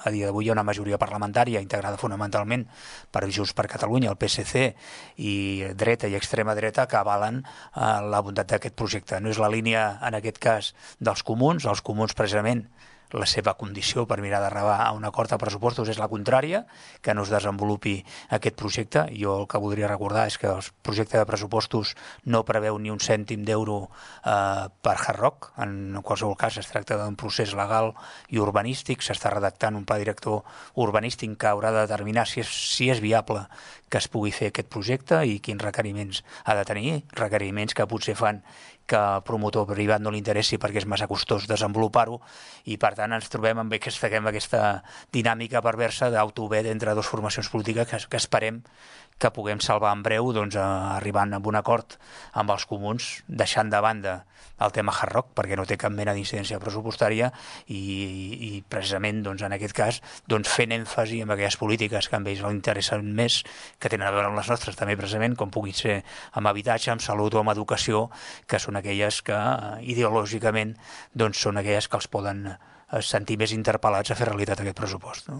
A dia d'avui hi ha una majoria parlamentària integrada fonamentalment per Junts per Catalunya, el PSC i dreta i extrema dreta que avalen la bondat d'aquest projecte. No és la línia, en aquest cas, dels comuns. Els comuns, precisament, la seva condició per mirar d'arribar a un acord de pressupostos és la contrària, que no es desenvolupi aquest projecte. Jo el que voldria recordar és que el projecte de pressupostos no preveu ni un cèntim d'euro per Hard Rock. En qualsevol cas es tracta d'un procés legal i urbanístic, s'està redactant un pla director urbanístic que haurà de determinar si és viable que es pugui fer aquest projecte i quins requeriments ha de tenir, requeriments que potser fan que al promotor privat no li interessi perquè és massa costós desenvolupar-ho, i per tant ens trobem amb aquesta dinàmica perversa d'autovet entre dues formacions polítiques que esperem que puguem salvar en breu, arribant a un acord amb els comuns, deixant de banda el tema Hard Rock, perquè no té cap mena d'incidència pressupostària, i precisament en aquest cas fent èmfasi en aquelles polítiques que a ells els interessen més, que tenen a veure amb les nostres també precisament, com puguin ser amb habitatge, amb salut o amb educació, que són aquelles que ideològicament són aquelles que els poden sentir més interpel·lats a fer realitat aquest pressupost, no?